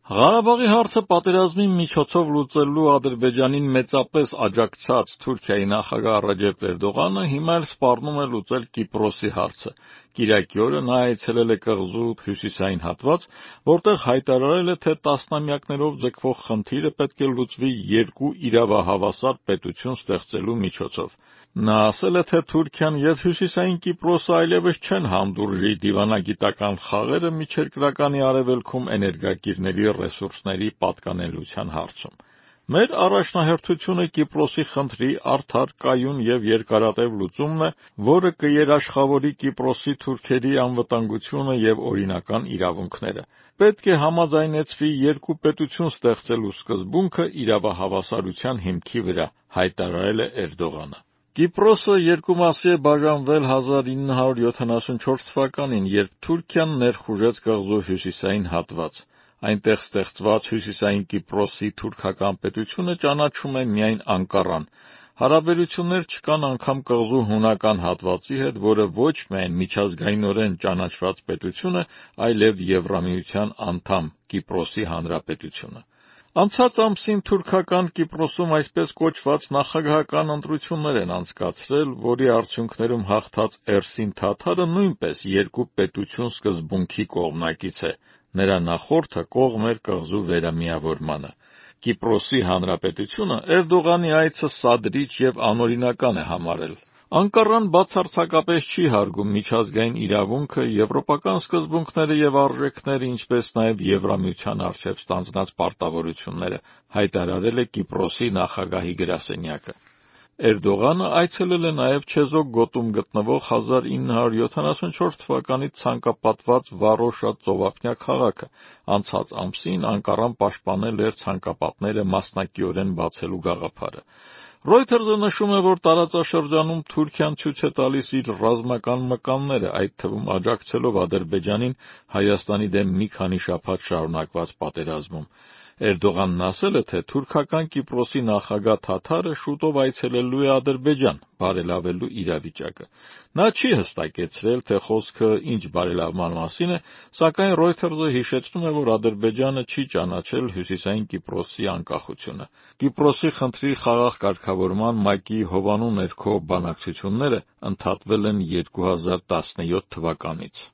Ղարաբաղի հարցը պատերազմի միջոցով լուծելու Ադրբեջանին մեծապես աջակցած Թուրքիայի նախագահ Ռեջեփ Էրդողանը հիմա էլ սպառնում է լուծել Կիպրոսի հարցը։ Կիրակի օրը նա այցելել է կղզու հյուսիսային հատված, որտեղ հայտարարել է, թե տասնամյակներով ձգվող խնդիրը պետք է լուծվի երկու իրավահավասար պետություն ստեղծելու միջոցով։ Նա ասել է, թե Թուրքիան և Հյուսիսային Կիպրոսը այլևս չեն հանդուրժի դիվանագիտական խաղերը միջերկրականի արևելքում էներգակիրների ռեսուրսների պատկանելիության հարցում։ Մեր առաջնահերթությունը Կիպրոսի խնդրի արդար, կայուն և երկարատև լուծումն է, որը կերաշխավորի Կիպրոսի թուրքերի անվտանգությունը և օրինական իրավունքները։ Պետք է համաձայնեցվի երկու պետություն ստեղծելու սկզբունքը իրավահավասարության հիմքի վրա, հայտարարել է Էրդողանը։ Կիպրոսը երկու մասի է բաժանվել 1974 թվականին, երբ Թուրքիան ներխուժեց կղզու հյուսիսային հատված։ Այնտեղ ստեղծված Հյուսիսային Կիպրոսի թուրքական պետությունը ճանաչում է միայն Անկարան։ Հարաբերություններ չկան անգամ կղզու հունական հատվածի հետ, որը ոչ միայն միջազգայինորեն ճանաչված պետություն է, այլև Եվրամիության անդամ Կիպրոսի Հանրապետությունը։ Անցած ամսին թուրքական Կիպրոսում այսպես կոչված նախագահական ընտրություններ են անցկացրել, որի արդյունքներում հաղթած Էրսին Թաթարը նույնպես երկու պետություն սկզբունքի կողմնակից է։ Նրա նախորդը կողմ էր կղզու վերամիավորմանը։ Կիպրոսի Հանրապետությունը Էրդողանի այցը սադրիչ և անօրինական է համարել։ Անկարան բացարձակապես չի հարգում միջազգային իրավունքը, եվրոպական սկզբունքները և արժեքները, ինչպես նաև Եվրամիության առջև ստանձնած պարտավորությունները, հայտարարել է Կիպրոսի նախագահի գրասենյակը։ Էրդողանը այցելել է նաև Չեզոք գոտում գտնվող 1974 թվականից ցանկապատված Վարոշա ծովափնյա քաղաքը։ Անցած ամսին Անկարան պաշտպանել էր ցանկապատները մասնակիորեն բացելու գաղափարը։ Reuters-ը նշում է, որ տարածաշրջանում Թուրքիան ցույց է տալիս իր ռազմական մկանները, այդ թվում աջակցելով Ադրբեջանին Հայաստանի դեմ մի քանի շաբաթ շարունակված պատերազմում։ Էրդողանն ասել է, թե թուրքական Կիպրոսի նախագահ Թաթարը շուտով այցելելու է Ադրբեջան, բարելավելու իրավիճակը։ Նա չի հստակեցրել, թե խոսքը ինչ բարելավման մասին է, սակայն Reuters-ը հիշեցնում է, որ Ադրբեջանը չի ճանաչել Հյուսիսային Կիպրոսի անկախությունը։ Կիպրոսի խնդրի խաղաղ կարգավորման ՄԱԿ-ի հովանու ներքո բանակցությունները ընդհատվել են 2017 թվականից։